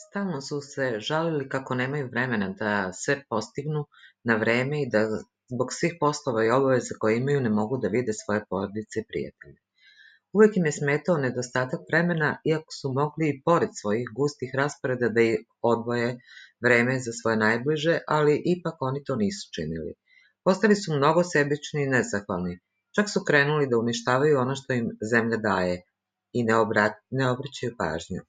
Stalno su se žalili kako nemaju vremena da sve postignu na vreme i da zbog svih poslova i obaveza koje imaju ne mogu da vide svoje porodice i prijatelje. Uvek im je smetao nedostatak vremena, iako su mogli i pored svojih gustih rasporeda da i odvoje vreme za svoje najbliže, ali ipak oni to nisu činili. Postali su mnogo sebični i nezahvalni, čak su krenuli da uništavaju ono što im zemlja daje i ne obraćaju pažnju.